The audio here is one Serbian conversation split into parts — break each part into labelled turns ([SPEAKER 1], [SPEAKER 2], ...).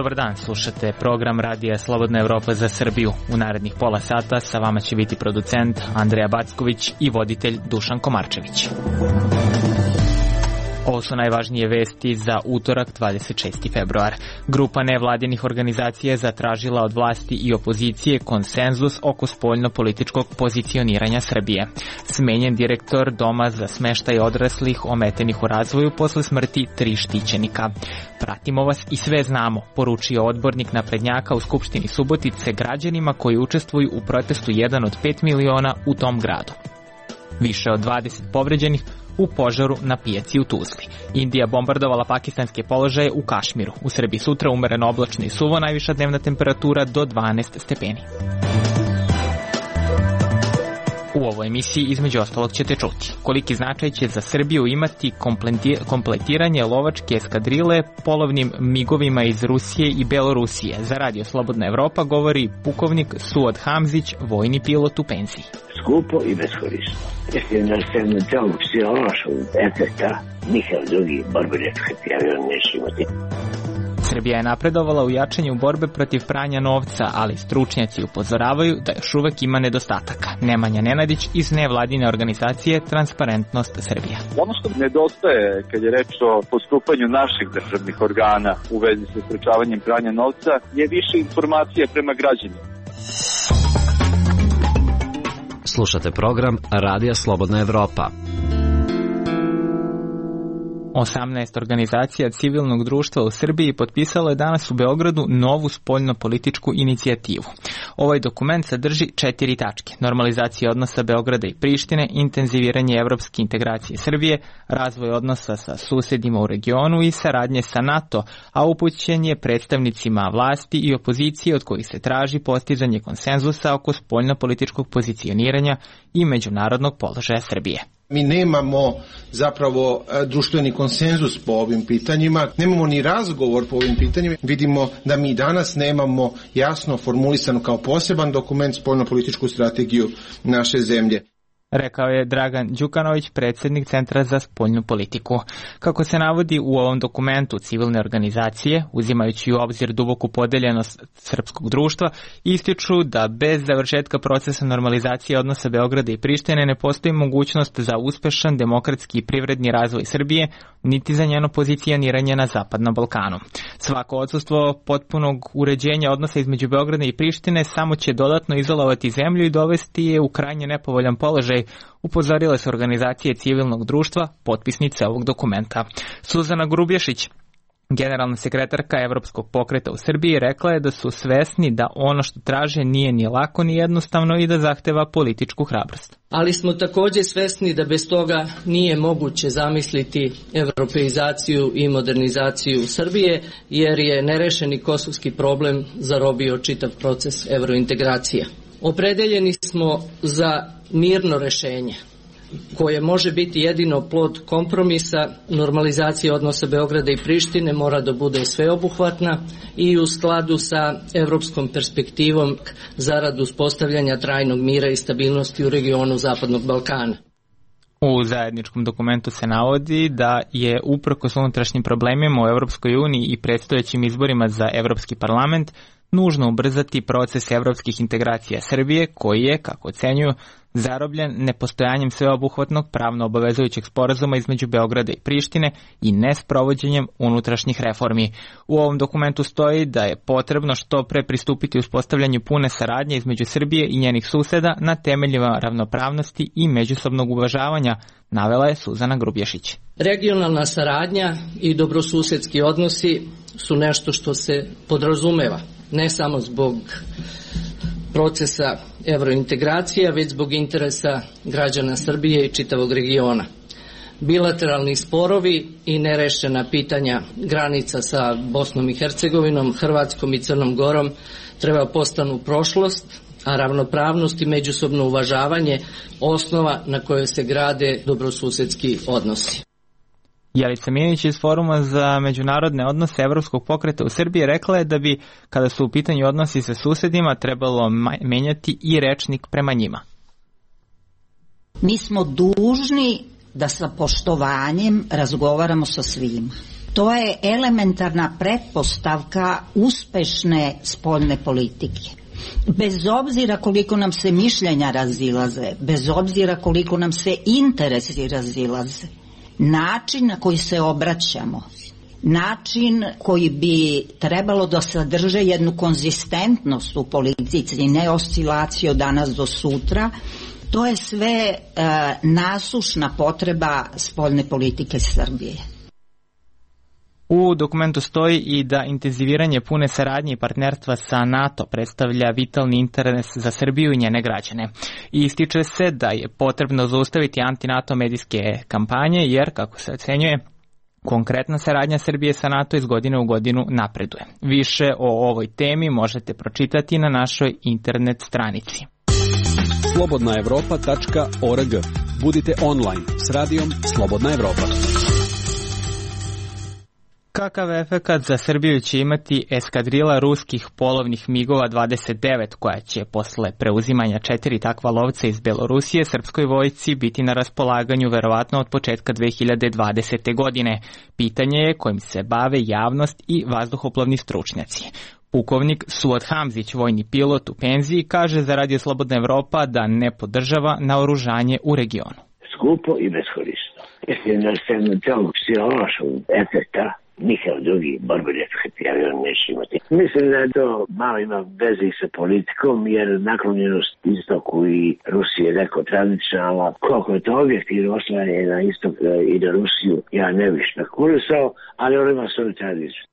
[SPEAKER 1] Dobar dan, slušate program Radija Slobodna Evropa za Srbiju. U narednih pola sata sa vama će biti producent Andreja Backović i voditelj Dušan Komarčević. Ovo su najvažnije vesti za utorak 26. februar. Grupa nevladinih organizacija je zatražila od vlasti i opozicije konsenzus oko spoljno-političkog pozicioniranja Srbije. Smenjen direktor Doma za smeštaj odraslih ometenih u razvoju posle smrti 3 štićenika. Pratimo vas i sve znamo, poručio odbornik naprednjaka u Skupštini Subotice građanima koji učestvuju u protestu 1 od 5 miliona u tom gradu. Više od 20 povređenih u požaru na pijaci u Tuzli. Indija bombardovala pakistanske položaje u Kašmiru. U Srbiji sutra umereno oblačno i suvo, najviša dnevna temperatura do 12 stepeni. U ovoj emisiji između ostalog ćete čuti koliki značaj će za Srbiju imati kompletiranje lovačke eskadrile polovnim migovima iz Rusije i Belorusije. Za Radio Slobodna Evropa govori pukovnik Suad Hamzić, vojni pilot u penziji.
[SPEAKER 2] Skupo i beskorisno. Mislim da se na celog psihološkog efekta nikad drugi borbenički avion neće imati.
[SPEAKER 1] Srbija je napredovala u jačanju borbe protiv pranja novca, ali stručnjaci upozoravaju da još uvek ima nedostataka. Nemanja Nenadić iz nevladine organizacije Transparentnost Srbija.
[SPEAKER 3] Ono što nedostaje kad je reč o postupanju naših državnih organa u vezi sa sprečavanjem pranja novca je više informacija prema građanima.
[SPEAKER 4] Slušate program Radija Slobodna Evropa.
[SPEAKER 1] 18 organizacija civilnog društva u Srbiji potpisalo je danas u Beogradu novu spoljno-političku inicijativu. Ovaj dokument sadrži 4 tačke: normalizacija odnosa Beograda i Prištine, intenziviranje evropske integracije Srbije, razvoj odnosa sa susedima u regionu i saradnje sa NATO, a upućen je predstavnicima vlasti i opozicije od kojih se traži postizanje konsenzusa oko spoljno-političkog pozicioniranja i međunarodnog položaja Srbije.
[SPEAKER 5] Mi nemamo zapravo društveni konsenzus po ovim pitanjima, nemamo ni razgovor po ovim pitanjima. Vidimo da mi danas nemamo jasno formulisano kao poseban dokument spoljno-političku strategiju naše zemlje.
[SPEAKER 1] Rekao je Dragan Đukanović, predsjednik Centra za spoljnu politiku. Kako se navodi u ovom dokumentu, civilne organizacije, uzimajući u obzir duboku podeljenost srpskog društva, ističu da bez završetka procesa normalizacije odnosa Beograda i Prištine ne postoji mogućnost za uspešan demokratski i privredni razvoj Srbije, niti za njeno pozicioniranje na Zapadnom Balkanu. Svako odsustvo potpunog uređenja odnosa između Beograda i Prištine samo će dodatno izolovati zemlju i dovesti je u krajnje nepovoljan položaj, upozorile su organizacije civilnog društva, potpisnice ovog dokumenta. Suzana Grubješić, generalna sekretarka Evropskog pokreta u Srbiji, rekla je da su svesni da ono što traže nije ni lako ni jednostavno i da zahteva političku hrabrost.
[SPEAKER 6] Ali smo također svesni da bez toga nije moguće zamisliti evropeizaciju i modernizaciju Srbije, jer je nerešeni kosovski problem zarobio čitav proces evrointegracija. Opredeljeni smo za mirno rešenje koje može biti jedino plod kompromisa. Normalizacija odnosa Beograda i Prištine mora da bude sveobuhvatna i u skladu sa evropskom perspektivom zarad uspostavljanja trajnog mira i stabilnosti u regionu Zapadnog Balkana.
[SPEAKER 1] U zajedničkom dokumentu se navodi da je uprkos unutrašnjim problemima u Evropskoj uniji i predstojećim izborima za Evropski parlament nužno ubrzati proces evropskih integracija Srbije, koji je, kako ocenjuju, zarobljen nepostojanjem sveobuhvatnog pravno obavezujućeg sporazuma između Beograda i Prištine i nesprovođenjem unutrašnjih reformi. U ovom dokumentu stoji da je potrebno što pre pristupiti uspostavljanju pune saradnje između Srbije i njenih suseda na temeljima ravnopravnosti i međusobnog uvažavanja, navela je Suzana Grubješić.
[SPEAKER 6] Regionalna saradnja i dobrosusedski odnosi su nešto što se podrazumeva, ne samo zbog procesa evrointegracija, već zbog interesa građana Srbije i čitavog regiona. Bilateralni sporovi i nerešena pitanja granica sa Bosnom i Hercegovinom, Hrvatskom i Crnom Gorom treba postanu prošlost, a ravnopravnost i međusobno uvažavanje osnova na kojoj se grade dobrosusedski odnosi.
[SPEAKER 1] Jelica Minić iz Foruma za međunarodne odnose Evropskog pokreta u Srbiji rekla je da bi, kada su u pitanju odnosi sa susedima, trebalo menjati i rečnik prema njima.
[SPEAKER 7] Mi smo dužni da sa poštovanjem razgovaramo sa svima. To je elementarna pretpostavka uspešne spoljne politike. Bez obzira koliko nam se mišljenja razilaze, bez obzira koliko nam se interesi razilaze, način na koji se obraćamo, način koji bi trebalo da sadrže jednu konzistentnost u politici, ne oscilaciju od danas do sutra, to je sve nasušna potreba spoljne politike Srbije.
[SPEAKER 1] U dokumentu stoji i da intenziviranje pune saradnje i partnerstva sa NATO predstavlja vitalni interes za Srbiju i njene građane. I ističe se da je potrebno zaustaviti anti-NATO medijske kampanje jer, kako se ocenjuje, konkretna saradnja Srbije sa NATO iz godine u godinu napreduje. Više o ovoj temi možete pročitati na našoj internet stranici.
[SPEAKER 8] slobodnaevropa.org. Budite online s radijom Slobodna Evropa.
[SPEAKER 1] Kakav efekat za Srbiju će imati eskadrila ruskih polovnih MiG-ova 29 koja će posle preuzimanja 4 takva lovca iz Belorusije srpskoj vojsci biti na raspolaganju verovatno od početka 2020. godine? Pitanje je kojim se bave javnost i vazduhoplovni stručnjaci. Pukovnik Suad Hamzić, vojni pilot u penziji, kaže za Radio Slobodna Evropa da ne podržava naoružanje u regionu.
[SPEAKER 2] Skupo i beskorisno. Mislim da se celog psihološkog efekta nikad drugi borbeni efekt avion neće imati. Mislim da je to malo ima veze i sa politikom, jer naklonjenost istoku i Rusije je neko tradicionalna. Koliko je to objektivno oslanjanje na istok i na Rusiju, ja ne bih špekulisao, ali on ima svoju tradiciju.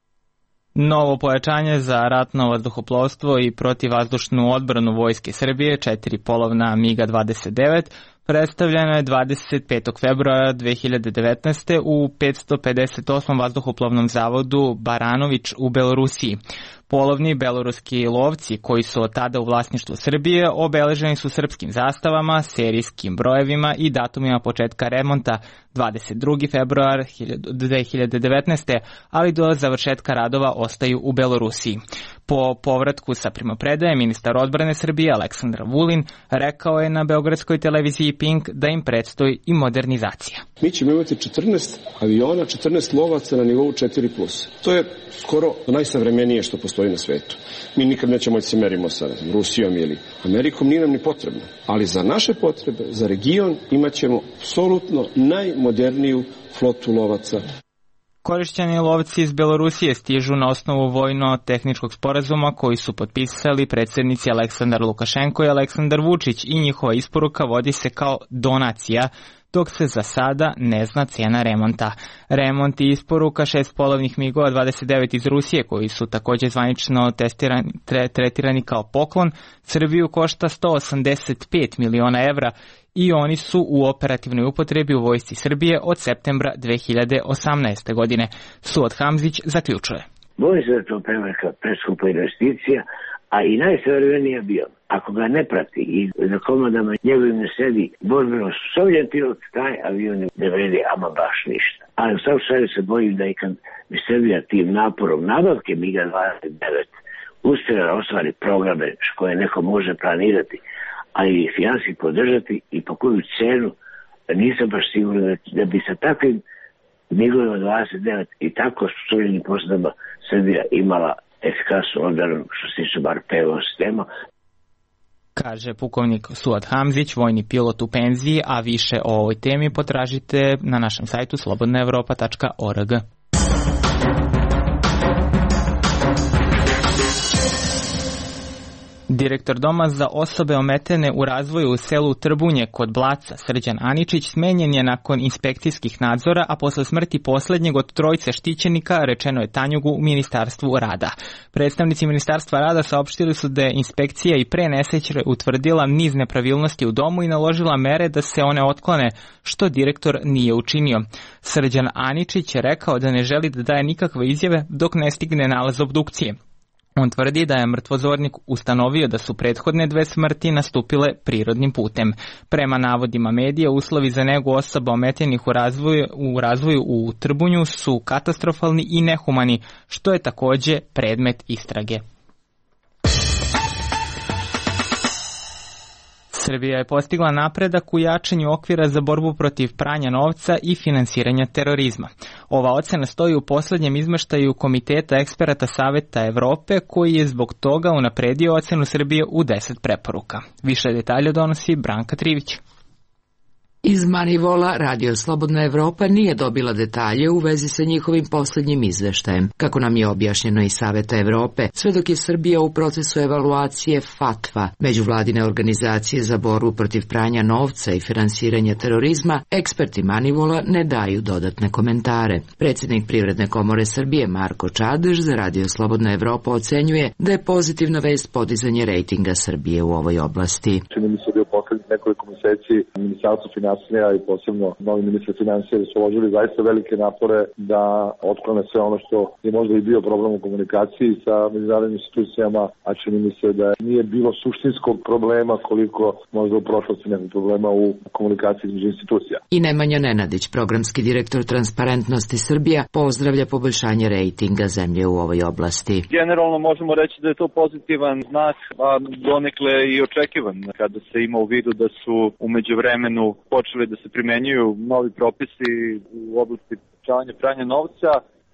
[SPEAKER 1] Novo pojačanje za ratno vazduhoplovstvo i protivvazdušnu odbranu Vojske Srbije, 4 polovna MiG-29, predstavljeno je 25. februara 2019. u 558. vazduhoplovnom zavodu Baranović u Belorusiji. Polovni beloruski lovci koji su od tada u vlasništvu Srbije obeleženi su srpskim zastavama, serijskim brojevima i datumima početka remonta 22. februar 2019. ali do završetka radova ostaju u Belorusiji. Po povratku sa primopredaje ministar odbrane Srbije Aleksandar Vulin rekao je na beogradskoj televiziji Pink da im predstoji i modernizacija.
[SPEAKER 9] Mi ćemo imati 14 aviona, 14 lovaca na nivou 4+. To je skoro najsavremenije što postoji na svetu. Mi nikad nećemo da se merimo sa Rusijom ili Amerikom, nije nam ni potrebno. Ali za naše potrebe, za region, imat ćemo apsolutno najmoderniju flotu lovaca.
[SPEAKER 1] Korišćeni lovci iz Belorusije stižu na osnovu vojno-tehničkog sporazuma koji su potpisali predsjednici Aleksandar Lukašenko i Aleksandar Vučić i njihova isporuka vodi se kao donacija, dok se za sada ne zna cena remonta. Remont i isporuka 6 polovnih MiG-ova 29 iz Rusije, koji su također zvanično tretirani kao poklon, Srbiju košta 185 miliona evra i oni su u operativnoj upotrebi u Vojsci Srbije od septembra 2018. godine. Suad Hamzić zaključuje.
[SPEAKER 2] Bojim se da to prevelika preskupa investicija, a i najsavremeniji avion. Ako ga ne prati i za komadama njegovim ne sedi borbeno sposobljen pilot, taj avion ne vredi ama baš ništa. Ali u svakom slučaju se bojim da i kad bi Srbija tim naporom nabavke MiG-29 uspjela da ostvari programe koje neko može planirati, ali i finanski podržati i po koju cenu, nisam baš siguran da bi sa takvim MiG-ovima 29 i tako sposobljenim posadama Srbija imala efikasnu odbranu što se tiče bar PVO sistema.
[SPEAKER 1] Kaže pukovnik Suad Hamzić, vojni pilot u penziji, a više o ovoj temi potražite na našem sajtu slobodnaevropa.org. Direktor Doma za osobe ometene u razvoju u selu Trbunje kod Blaca, Srđan Aničić, smenjen je nakon inspekcijskih nadzora, a posle smrti poslednjeg od trojice štićenika, rečeno je Tanjugu u Ministarstvu rada. Predstavnici Ministarstva rada saopštili su da je inspekcija i pre nesreće utvrdila niz nepravilnosti u domu i naložila mere da se one otklone, što direktor nije učinio. Srđan Aničić je rekao da ne želi da daje nikakve izjave dok ne stigne nalaz obdukcije. On tvrdi da je mrtvozornik ustanovio da su prethodne 2 smrti nastupile prirodnim putem. Prema navodima medija, uslovi za negu osoba ometenih u razvoju u Trbunju su katastrofalni i nehumani, što je također predmet istrage. Srbija je postigla napredak u jačanju okvira za borbu protiv pranja novca i finansiranja terorizma. Ova ocena stoji u poslednjem izmeštaju Komiteta eksperata Saveta Evrope, koji je zbog toga unapredio ocenu Srbije u 10 preporuka. Više detalja donosi Branka Trivić.
[SPEAKER 10] Iz Manivola Radio Slobodna Evropa nije dobila detalje u vezi sa njihovim poslednjim izveštajem, kako nam je objašnjeno iz Saveta Evrope, sve dok je Srbija u procesu evaluacije FATVA, međuvladine organizacije za borbu protiv pranja novca i finansiranja terorizma, eksperti Manivola ne daju dodatne komentare. Predsjednik Privredne komore Srbije Marko Čadež za Radio Slobodna Evropa ocenjuje da je pozitivna vest podizanje rejtinga Srbije u ovoj oblasti.
[SPEAKER 11] Čini mi se da je u poslednjih nekoliko meseci Ministarstvo finansija i posebno novi ministar finansija su uložili zaista velike napore da otklone sve ono što je možda i bio problem u komunikaciji sa međunarodnim institucijama, a čini mi se da nije bilo suštinskog problema koliko možda u prošlosti nekog problema u komunikaciji između institucija.
[SPEAKER 10] I Nemanja Nenadić, programski direktor Transparentnosti Srbija, pozdravlja poboljšanje rejtinga zemlje u ovoj oblasti.
[SPEAKER 3] Generalno možemo reći da je to pozitivan znak, a donekle i očekivan kada se ima u vidu da su u međuvremenu počeli da se primenjuju novi propisi u oblasti sprečavanja pranja novca,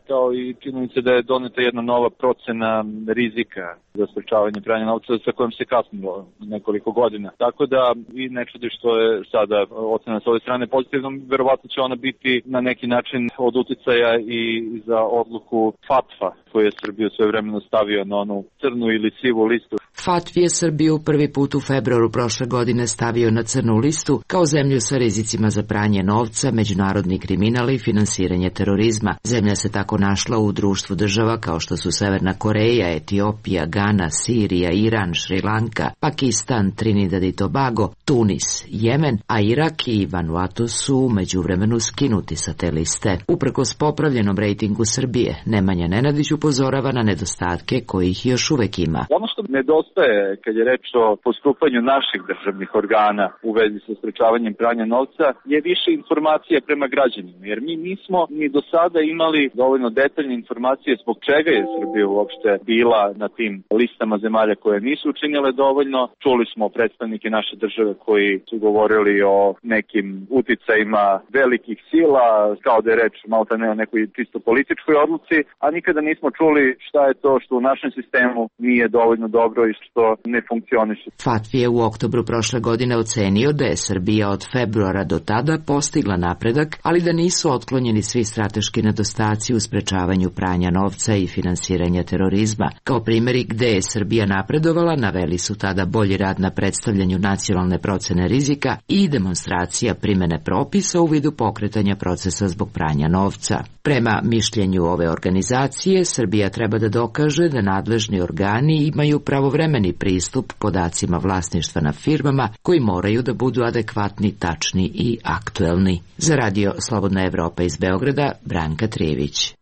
[SPEAKER 3] kao i činjenica da je doneta jedna nova procena rizika za sprečavanje pranja novca sa kojom se kasnilo nekoliko godina. Tako da i ne čudi što je sada ocena s ove strane pozitivnom, verovatno će ona biti na neki način od uticaja i za odluku FATFA koju je Srbiju sve vremeno stavio na onu crnu ili sivu listu.
[SPEAKER 10] FATF je Srbiju prvi put u februaru prošle godine stavio na crnu listu kao zemlju sa rizicima za pranje novca, međunarodni kriminal i finansiranje terorizma. Zemlja se tako našla u društvu država kao što su Severna Koreja, Etiopija, Gana, Sirija, Iran, Šrilanka, Pakistan, Trinidad i Tobago, Tunis, Jemen, a Irak i Vanuatu su međuvremenu skinuti sa te liste. Uprkos popravljenom rejtingu Srbije, Nemanja Nenadić upozorava na nedostatke kojih još uvek ima.
[SPEAKER 3] Ono što nedostaje kad je reč o postupanju naših državnih organa u vezi sa sprečavanjem pranja novca je više informacija prema građanima, jer mi nismo ni do sada imali dovoljno detaljne informacije zbog čega je Srbija uopšte bila na tim listama zemalja koje nisu učinile dovoljno. Čuli smo predstavnike naše države koji su govorili o nekim uticajima velikih sila, kao da je reč maltene o nekoj čisto političkoj odluci, a nikada nismo čuli šta je to što u našem sistemu nije dovoljno dobro i što ne funkcioniše.
[SPEAKER 10] FATF je u oktobru prošle godine ocenio da je Srbija od februara do tada postigla napredak, ali da nisu otklonjeni svi strateški nedostaci u sprečavanju pranja novca i finansiranja terorizma. Kao primjeri gde je Srbija napredovala, naveli su tada bolji rad na predstavljanju nacionalne procene rizika i demonstracija primene propisa u vidu pokretanja procesa zbog pranja novca. Prema mišljenju ove organizacije, Srbija treba da dokaže da nadležni organi imaju pravovremeni pristup podacima vlasništva na firmama koji moraju da budu adekvatni, tačni i aktuelni. Za Radio Slobodna Evropa iz Beograda, Branka Trivić.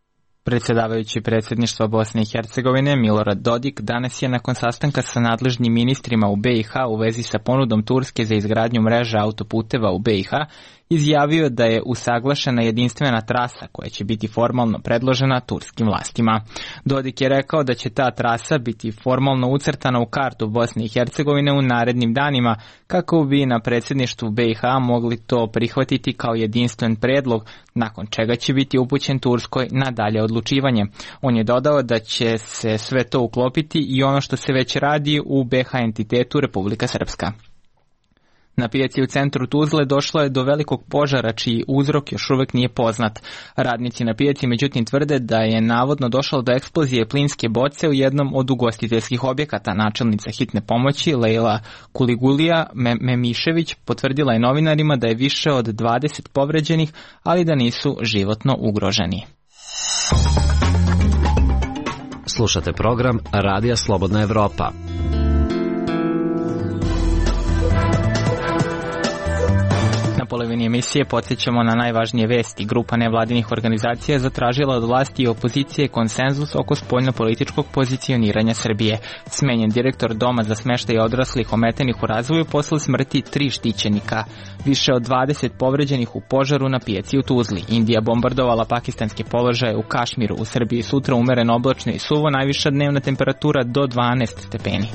[SPEAKER 1] Predsjedavajući predsjedništva Bosne i Hercegovine Milorad Dodik danas je nakon sastanka sa nadležnim ministrima u BiH u vezi sa ponudom Turske za izgradnju mreže autoputeva u BiH izjavio da je usaglašena jedinstvena trasa koja će biti formalno predložena turskim vlastima. Dodik je rekao da će ta trasa biti formalno ucrtana u kartu Bosne i Hercegovine u narednim danima kako bi na predsjedništvu BiH mogli to prihvatiti kao jedinstven predlog, nakon čega će biti upućen Turskoj na dalje odlučivanje. On je dodao da će se sve to uklopiti i ono što se već radi u BiH entitetu Republika Srpska. Na pijaci u centru Tuzle došlo je do velikog požara čiji uzrok još uvek nije poznat. Radnici na pijaci međutim tvrde da je navodno došlo do eksplozije plinske boce u jednom od ugostiteljskih objekata. Načelnica hitne pomoći Lejla Kuligulija Memišević potvrdila je novinarima da je više od 20 povređenih, ali da nisu životno ugroženi.
[SPEAKER 4] Slušate program Radija Slobodna Evropa.
[SPEAKER 1] Na polovini emisije podsjećamo na najvažnije vesti. Grupa nevladinih organizacija zatražila od vlasti i opozicije konsenzus oko spoljno-političkog pozicioniranja Srbije. Smenjen direktor Doma za smeštaj odraslih ometenih u razvoju posle smrti 3 štićenika. Više od 20 povređenih u požaru na pijaci u Tuzli. Indija bombardovala pakistanske položaje u Kašmiru. U Srbiji sutra umereno oblačno i suvo, najviša dnevna temperatura do 12 stepeni.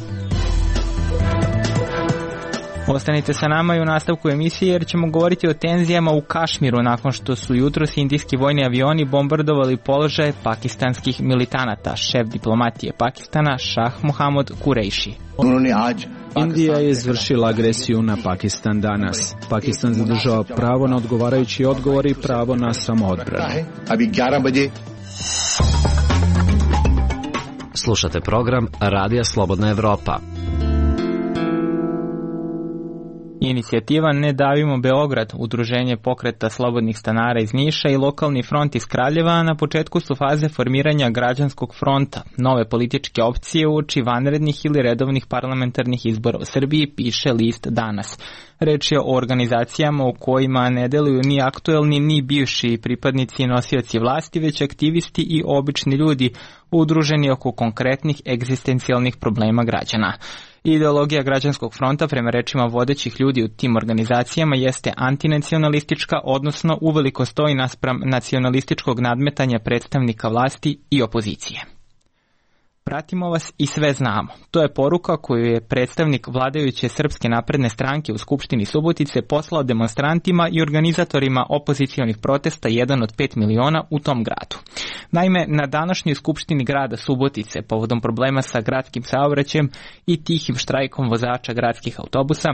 [SPEAKER 1] Ostanite sa nama i u nastavku emisije jer ćemo govoriti o tenzijama u Kašmiru nakon što su jutros indijski vojni avioni bombardovali položaje pakistanskih militanata. Šef diplomatije Pakistana Šah Mohammad Kureishi.
[SPEAKER 8] Indija je izvršila agresiju na Pakistan danas. Pakistan zadržava pravo na odgovarajući odgovor i pravo na samoodbranu.
[SPEAKER 4] Slušate program Radija Slobodna Evropa.
[SPEAKER 1] Inicijativa Ne davimo Beograd, udruženje pokreta slobodnih stanara iz Niša i lokalni front iz Kraljeva na početku su faze formiranja građanskog fronta, nove političke opcije uoči vanrednih ili redovnih parlamentarnih izbora u Srbiji, piše list Danas. Reč je o organizacijama u kojima ne deluju ni aktuelni ni bivši pripadnici i nosioci vlasti, već aktivisti i obični ljudi udruženi oko konkretnih egzistencijalnih problema građana. Ideologija građanskog fronta, prema rečima vodećih ljudi u tim organizacijama, jeste antinacionalistička, odnosno uveliko stoji naspram nacionalističkog nadmetanja predstavnika vlasti i opozicije. Pratimo vas i sve znamo. To je poruka koju je predstavnik vladajuće Srpske napredne stranke u Skupštini Subotice poslao demonstrantima i organizatorima opozicionih protesta 1 od 5 miliona u tom gradu. Naime, na današnjoj Skupštini grada Subotice, povodom problema sa gradskim saobraćajem i tihim štrajkom vozača gradskih autobusa,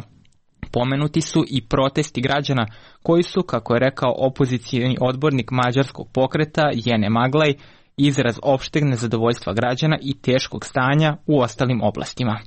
[SPEAKER 1] pomenuti su i protesti građana koji su, kako je rekao opozicioni odbornik mađarskog pokreta Jene Maglaj, izraz opšteg nezadovoljstva građana i teškog stanja u ostalim oblastima.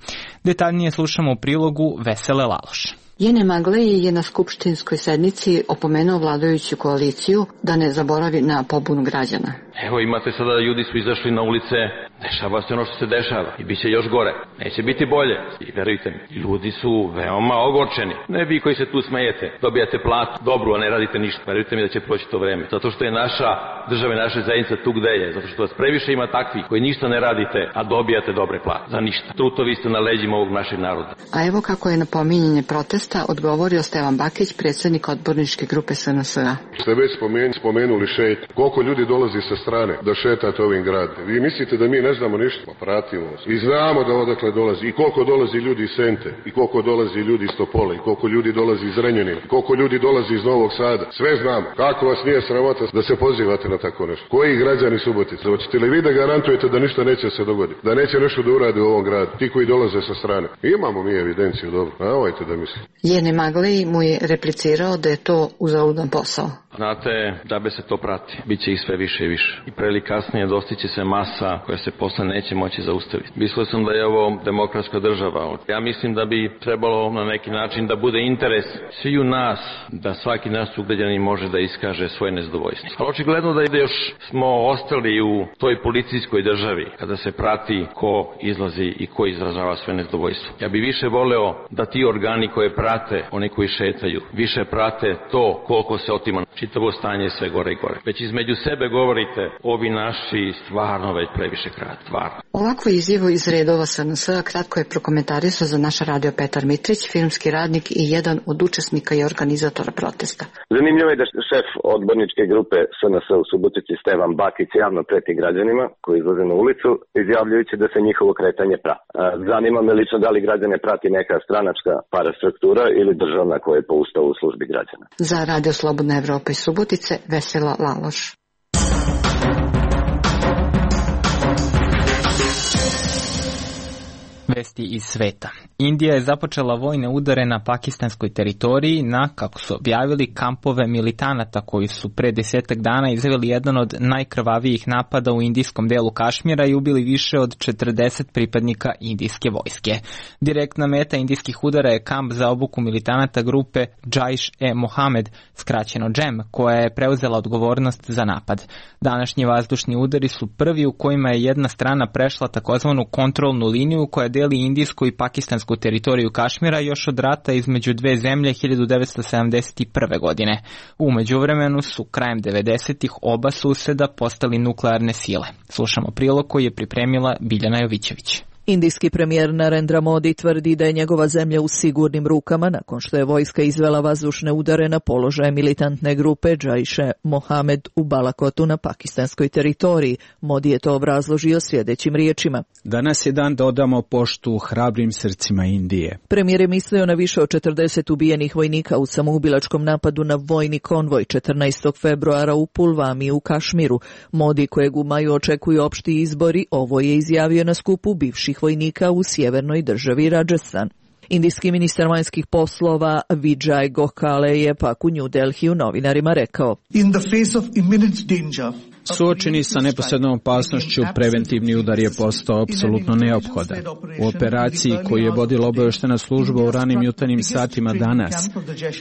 [SPEAKER 1] Detaljnije slušamo u prilogu Vesele Laloš.
[SPEAKER 12] Jene Maglej je na skupštinskoj sednici opomenuo vladajuću koaliciju da ne zaboravi na pobunu građana.
[SPEAKER 13] Evo imate sada da ljudi su izašli na ulice, dešava se ono što se dešava i bit će još gore, neće biti bolje. I verujte mi, ljudi su veoma ogorčeni. Ne vi koji se tu smejete, dobijate platu dobru, a ne radite ništa. Verujte mi da će proći to vreme. Zato što je naša država i naša zajednica tu gde je, zato što vas previše ima takvih koji ništa ne radite, a dobijate dobre plate. Za ništa. Trutovi ste na leđima ovog našeg naroda.
[SPEAKER 12] A evo kako je na pominjanje protesta odgovorio Stevan Bakić, predsjednik odborničke grupe SNS-a.
[SPEAKER 14] Ste već spomenuli šet. Koliko ljudi dolazi sa strane da šetate ovim gradom? Vi mislite da mi ne znamo ništa? Pa pratimo se. I znamo da odakle dolazi. I koliko dolazi ljudi iz Sente. I koliko dolazi ljudi iz Topola. I koliko ljudi dolazi iz Renjanina. I koliko ljudi dolazi iz Novog Sada. Sve znamo. Kako vas nije sramota da se pozivate na tako nešto? Koji građani Subotice? Hoćete li vi da garantujete da ništa neće se dogoditi? Da neće nešto da uradi u ovom gradu? Ti koji dolaze sa strane. Imamo mi evidenciju, dobro. Nemojte da mislite.
[SPEAKER 12] Jene Maglej mu je replicirao da je to uzaludan posao.
[SPEAKER 13] Znate, da bi se to prati, bit će ih sve više i više. I pre ili kasnije dostiće se masa koja se posle neće moći zaustaviti. Mislio sam da je ovo demokratska država. Ja mislim da bi trebalo na neki način da bude interes sviju nas, da svaki naš sugrađanin može da iskaže svoje nezadovoljstvo. Ali očigledno da još smo ostali u toj policijskoj državi, kada se prati ko izlazi i ko izražava svoje nezadovoljstvo. Ja bi više voleo da ti organi koje prate, oni koji šetaju, više prate to koliko se otima. Čitavo stanje sve gore i gore. Već između sebe govorite, ovi naši stvarno već previše krat, stvarno.
[SPEAKER 12] Ovakvu izjavu iz redova SNS-a kratko je prokomentarisao za naš radio Petar Mitrić, filmski radnik i jedan od učesnika i organizatora protesta.
[SPEAKER 15] Zanimljivo je da šef odborničke grupe SNS u Subotici Stevan Bakić javno preti građanima koji izlaze na ulicu, izjavljujući da se njihovo kretanje prati. Zanima me lično da li građane prati neka stranačka parastruktura ili državna koja je po ustavu u službi građana.
[SPEAKER 12] Za Radio Slobodna Evropa iz Subotice, Vesela Laloš.
[SPEAKER 1] Vesti iz sveta. Indija je započela vojne udare na pakistanskoj teritoriji na, kako su objavili, kampove militanata koji su pre 10 dana izveli jedan od najkrvavijih napada u indijskom delu Kašmira i ubili više od 40 pripadnika indijske vojske. Direktna meta indijskih udara je kamp za obuku militanata grupe Jaish-e-Mohammed, skraćeno JEM, koja je preuzela odgovornost za napad. Današnji vazdušni udari su prvi u kojima je jedna strana prešla takozvanu kontrolnu liniju koja deli indijsku i pakistansku teritoriju Kašmira još od rata između dve zemlje 1971. godine. U međuvremenu su krajem 90-ih oba suseda postali nuklearne sile. Slušamo prilog koji je pripremila Biljana Jovićević.
[SPEAKER 16] Indijski premijer Narendra Modi tvrdi da je njegova zemlja u sigurnim rukama nakon što je vojska izvela vazdušne udare na položaje militantne grupe Jaiše Mohamed u Balakotu na pakistanskoj teritoriji. Modi je to obrazložio sljedećim riječima.
[SPEAKER 8] Danas je dan da odamo poštu hrabrim srcima Indije.
[SPEAKER 16] Premijer je mislio na više od 40 ubijenih vojnika u samoubilačkom napadu na vojni konvoj 14. februara u Pulvami u Kašmiru. Modi, kojeg u maju očekuju opšti izbori, ovo je izjavio na skupu bivših vojnika u sjevernoj državi Rajasthan. Indijski ministar vanjskih poslova Vijay Gokhale je pak u New Delhiju novinarima rekao:
[SPEAKER 17] In the face of imminent danger,
[SPEAKER 8] suočeni sa neposrednom opasnošću, preventivni udar je postao apsolutno neophodan. U operaciji koju je vodila obavještajna služba u ranim jutarnjim satima danas,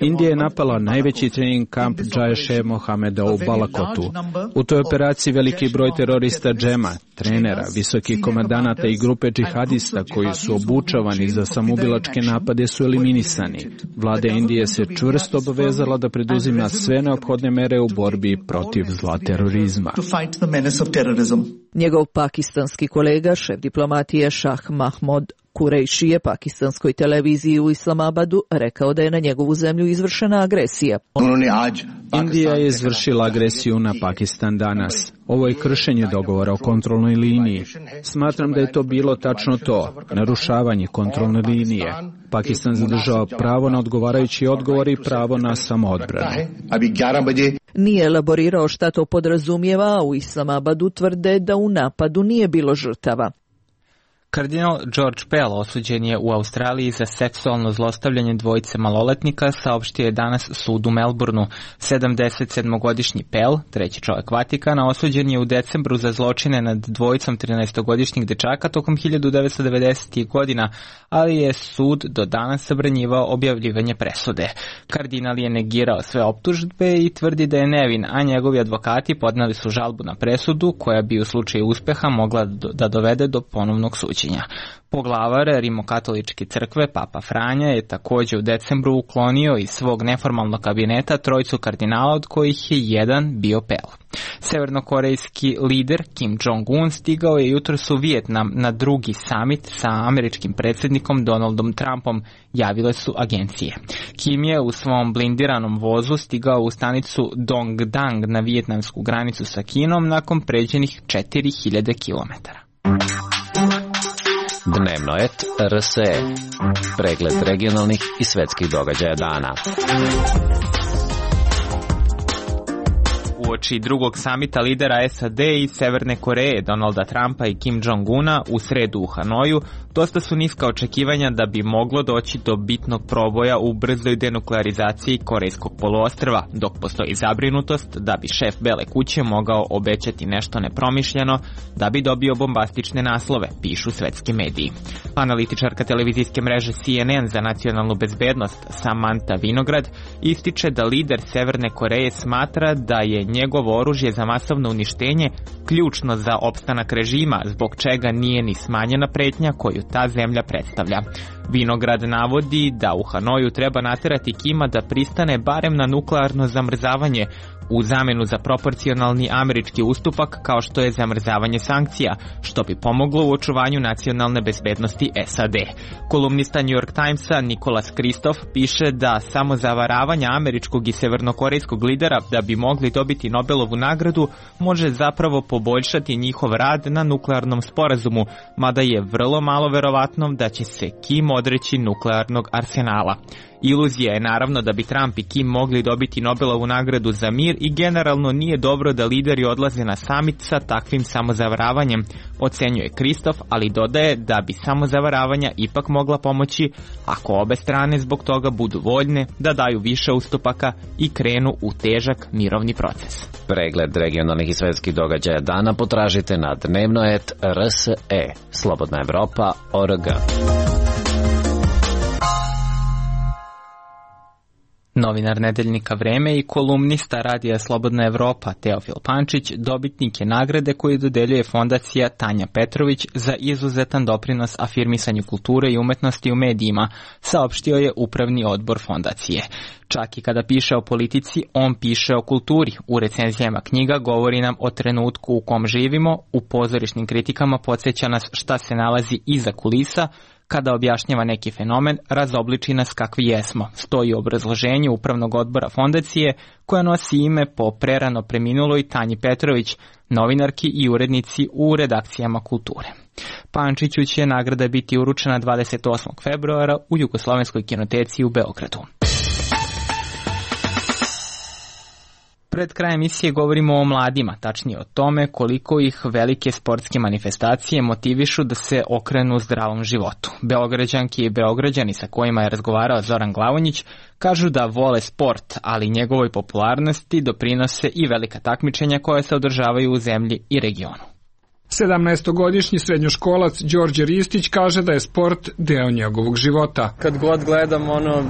[SPEAKER 8] Indija je napala najveći trening kamp Jaiše Mohameda u Balakotu. U toj operaciji veliki broj terorista džema, trenera, visokih komandanata i grupe džihadista koji su obučavani za samoubilačke napade su eliminisani. Vlada Indije se čvrsto obavezala da preduzima sve neophodne mere u borbi protiv zla terorizma.
[SPEAKER 16] Njegov pakistanski kolega, šef diplomatije Šah Mahmud Kurejši je pakistanskoj televiziji u Islamabadu rekao da je na njegovu zemlju izvršena agresija.
[SPEAKER 8] Indija je izvršila agresiju na Pakistan danas. Ovo je kršenje dogovora o kontrolnoj liniji. Smatram da je to bilo tačno to, narušavanje kontrolne linije. Pakistan zadržava pravo na odgovarajući odgovor i pravo na samoodbranu.
[SPEAKER 16] Nije elaborirao šta to podrazumijeva, a u Islamabadu tvrde da u napadu nije bilo žrtava.
[SPEAKER 1] Kardinal George Pell osuđen je u Australiji za seksualno zlostavljanje dvojice maloletnika, saopštio je danas sud u Melbourneu. 77-godišnji Pell, treći čovjek Vatikana, osuđen je u decembru za zločine nad dvojicom 13-godišnjih dečaka tokom 1990. godina, ali je sud do danas zabranjivao objavljivanje presude. Kardinal je negirao sve optužbe i tvrdi da je nevin, a njegovi advokati podneli su žalbu na presudu koja bi u slučaju uspeha mogla da dovede do ponovnog suđenja. Poglavar Rimokatoličke crkve, Papa Franja, je također u decembru uklonio iz svog neformalnog kabineta trojicu kardinala, od kojih je jedan bio Pell. Severnokorejski lider Kim Jong-un stigao je jutros u Vijetnam na drugi samit sa američkim predsjednikom Donaldom Trumpom, javile su agencije. Kim je u svom blindiranom vozu stigao u stanicu Dongdang na vijetnamsku granicu sa Kinom nakon pređenih 4000 km.
[SPEAKER 4] Dnevno et RSE. Pregled regionalnih i svetskih događaja dana.
[SPEAKER 1] Uoči drugog samita lidera SAD i Severne Koreje, Donalda Trumpa i Kim Jong-una u sredu u Hanoju, dosta su niska očekivanja da bi moglo doći do bitnog proboja u brzoj denuklearizaciji Korejskog poluostrva, dok postoji zabrinutost da bi šef Bele kuće mogao obećati nešto nepromišljeno da bi dobio bombastične naslove, pišu svetski mediji. Analitičarka televizijske mreže CNN za nacionalnu bezbednost Samantha Vinograd ističe da lider Severne Koreje smatra da je njegovo oružje za masovno uništenje ključno za opstanak režima, zbog čega nije ni smanjena pretnja koju ta zemlja predstavlja. Vinograd navodi da u Hanoju treba naterati Kima da pristane barem na nuklearno zamrzavanje u zamenu za proporcionalni američki ustupak kao što je zamrzavanje sankcija, što bi pomoglo u očuvanju nacionalne bezbednosti SAD. Kolumnista New York Timesa Nicholas Kristof piše da samo zavaravanja američkog i severnokorejskog lidera da bi mogli dobiti Nobelovu nagradu može zapravo poboljšati njihov rad na nuklearnom sporazumu, mada je vrlo malo verovatno da će se Kim odreći nuklearnog arsenala. Iluzija je naravno da bi Trump i Kim mogli dobiti Nobelovu nagradu za mir i generalno nije dobro da lideri odlaze na samit sa takvim samozavaravanjem, ocenjuje Kristof, ali dodaje da bi samozavaravanja ipak mogla pomoći ako obe strane zbog toga budu voljne da daju više ustupaka i krenu u težak mirovni proces.
[SPEAKER 4] Pregled regionalnih i svetskih događaja dana potražite na dnevnoet.rse. Slobodna Evropa.org.
[SPEAKER 1] Novinar nedeljnika Vreme i kolumnista radija Slobodna Evropa Teofil Pančić dobitnik je nagrade koju dodeljuje fondacija Tanja Petrović za izuzetan doprinos afirmisanju kulture i umetnosti u medijima, saopštio je upravni odbor fondacije. Čak i kada piše o politici, on piše o kulturi. U recenzijama knjiga govori nam o trenutku u kom živimo, u pozorišnim kritikama podsjeća nas šta se nalazi iza kulisa, kada objašnjava neki fenomen, razobliči nas kakvi jesmo, stoji u obrazloženju upravnog odbora fondacije, koja nosi ime po prerano preminuloj Tanji Petrović, novinarki i urednici u redakcijama kulture. Pančiću će nagrada biti uručena 28. februara u Jugoslovenskoj kinoteci u Beogradu. Pred krajem emisije govorimo o mladima, tačnije o tome koliko ih velike sportske manifestacije motivišu da se okrenu zdravom životu. Beograđanki i Beograđani sa kojima je razgovarao Zoran Glavonjić kažu da vole sport, ali njegovoj popularnosti doprinose i velika takmičenja koja se održavaju u zemlji i regionu.
[SPEAKER 18] 17-godišnji srednjoškolac Đorđe Ristić kaže da je sport deo njegovog života.
[SPEAKER 19] Kad god gledam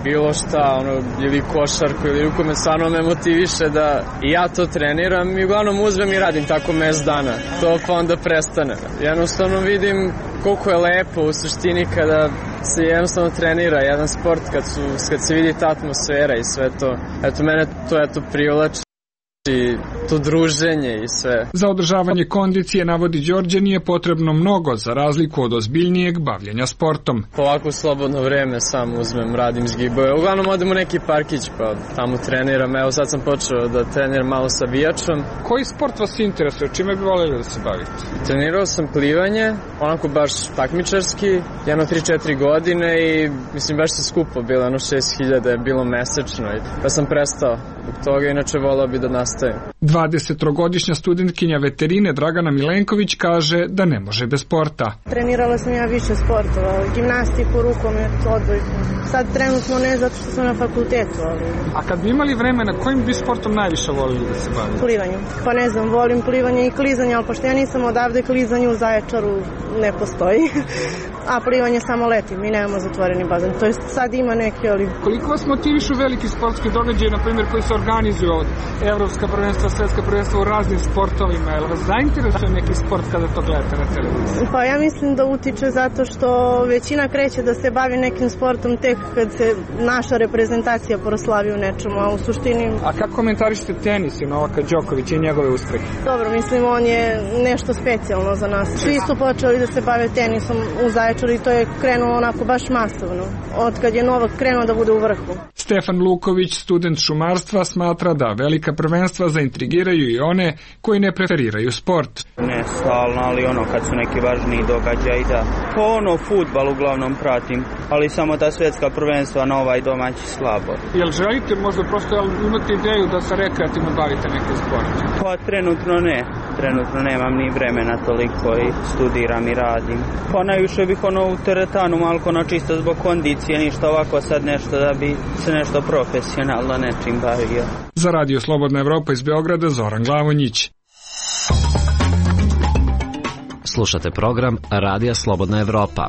[SPEAKER 19] bilo šta, ili košarku ili rukomet, stvarno me motiviše da i ja to treniram i uglavnom uzmem i radim tako mesec dana. To pa onda prestane. Jednostavno vidim koliko je lepo u suštini kada se jednostavno trenira jedan sport, kad se vidi ta atmosfera i sve to. Eto, mene to privlači. I to druženje i sve.
[SPEAKER 18] Za održavanje kondicije, navodi Đorđe, nije potrebno mnogo za razliku od ozbiljnijeg bavljenja sportom.
[SPEAKER 19] Ovako slobodno vreme sam uzmem, radim zgibove. Uglavnom odem u neki parkić pa tamo treniram. Evo sad sam počeo da treniram malo sa bijačom.
[SPEAKER 18] Koji sport vas interesuje? Čime bi voljeli da se bavite?
[SPEAKER 19] Trenirao sam plivanje, onako baš takmičarski, 3-4 godine i mislim baš se skupo bilo, 6.000 je bilo mesečno pa sam prestao zbog toga, inače volao bi da nastavim.
[SPEAKER 18] 23-godišnja studentkinja veterine Dragana Milenković kaže da ne može bez sporta.
[SPEAKER 20] Trenirala sam ja više sportova, gimnastiku, rukomet, odbojku. Sad trenutno ne zato što sam na fakultetu.
[SPEAKER 18] A kad bi imali vremena, kojim bi sportom najviše volili da se bavite?
[SPEAKER 20] Plivanjem. Pa ne znam, volim plivanje i klizanje, ali pošto ja nisam odavde, klizanje u Zaječaru ne postoji. A plivanje samo letim i nemamo zatvoreni bazen. To jest sad ima neke, ali...
[SPEAKER 18] Koliko vas motivišu veliki sportski događaji, na primjer, koji se organizuju od evropska prvenstva, svetska prvenstva u raznim sportovima? Je li vas zainteresuje neki sport kada to gledate na televiziji?
[SPEAKER 20] Pa ja mislim da utiče zato što većina kreće da se bavi nekim sportom tek kad se naša reprezentacija proslavi u nečemu, a u suštini...
[SPEAKER 18] A kako komentarišete tenis i Novaka Đokovića i njegove uspehe?
[SPEAKER 20] Dobro, mislim, on je nešto specijalno za nas. Svi su počeli da se bave tenisom u Zaječaru i to je krenulo onako baš masovno. Od kad je Novak krenuo da bude u vrhu.
[SPEAKER 18] Stefan Luković, student šumarstva, smatra da velika prvenstva zaintrigiraju i one koji ne preferiraju sport.
[SPEAKER 21] Ne stalno, ali kad su neki važniji događaji, da. Fudbal uglavnom pratim, ali samo ta svetska prvenstva na ovaj domaći slabo.
[SPEAKER 18] Jel želite možda prosto imate ideju da se rekreativno bavite nekim sportom?
[SPEAKER 21] Pa trenutno ne. Trenutno nemam ni vremena toliko i studiram i radim. Pa najviše bih u teretanu malko čisto zbog kondicije, ništa ovako sad nešto da bi se nešto profesionalno nečim bavio.
[SPEAKER 18] Za Radio Slobodna Evropa iz Beograda, Zoran Glavonjić.
[SPEAKER 4] Slušate program Radija Slobodna Evropa.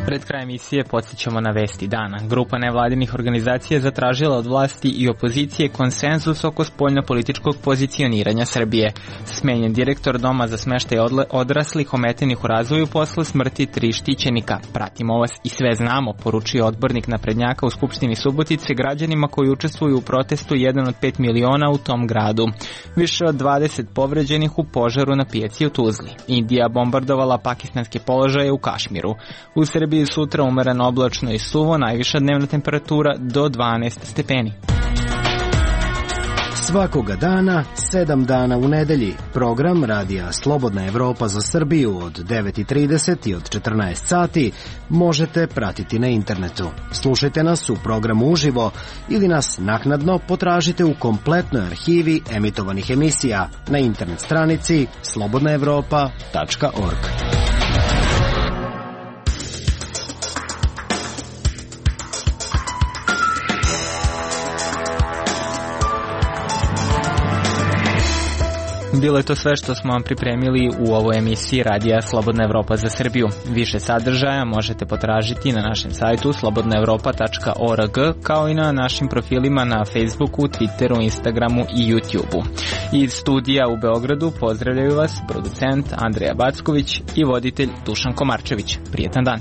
[SPEAKER 1] Pred krajem emisije podsjećamo na vesti dana. Grupa nevladinih organizacija zatražila od vlasti i opozicije konsenzus oko spoljnopolitičkog pozicioniranja Srbije. Smenjen direktor Doma za smeštaj odraslih ometenih u razvoju posle smrti 3 štićenika. Pratimo vas i sve znamo, poručio odbornik naprednjaka u Skupštini Subotice građanima koji učestvuju u protestu 1 od 5 miliona u tom gradu. Više od 20 povređenih u požaru na pijaci u Tuzli. Indija bombardovala pakistanske položaje u Kašmiru. U Srbiji sutra umereno oblačno i suvo, najviša dnevna temperatura do 12 stepeni.
[SPEAKER 22] Svakoga dana, 7 dana u nedelji. Program Radija Slobodna Evropa za Srbiju od 9:30 i od 14 sati možete pratiti na internetu. Slušajte nas u programu uživo ili nas naknadno potražite u kompletnoj arhivi emitovanih emisija na internet stranici slobodnaevropa.org.
[SPEAKER 1] Bilo je to sve što smo vam pripremili u ovoj emisiji Radija Slobodna Evropa za Srbiju. Više sadržaja možete potražiti na našem sajtu slobodnaevropa.org, kao i na našim profilima na Facebooku, Twitteru, Instagramu i YouTubeu. Iz studija u Beogradu pozdravljaju vas producent Andreja Backović i voditelj Dušan Komarčević. Prijetan dan!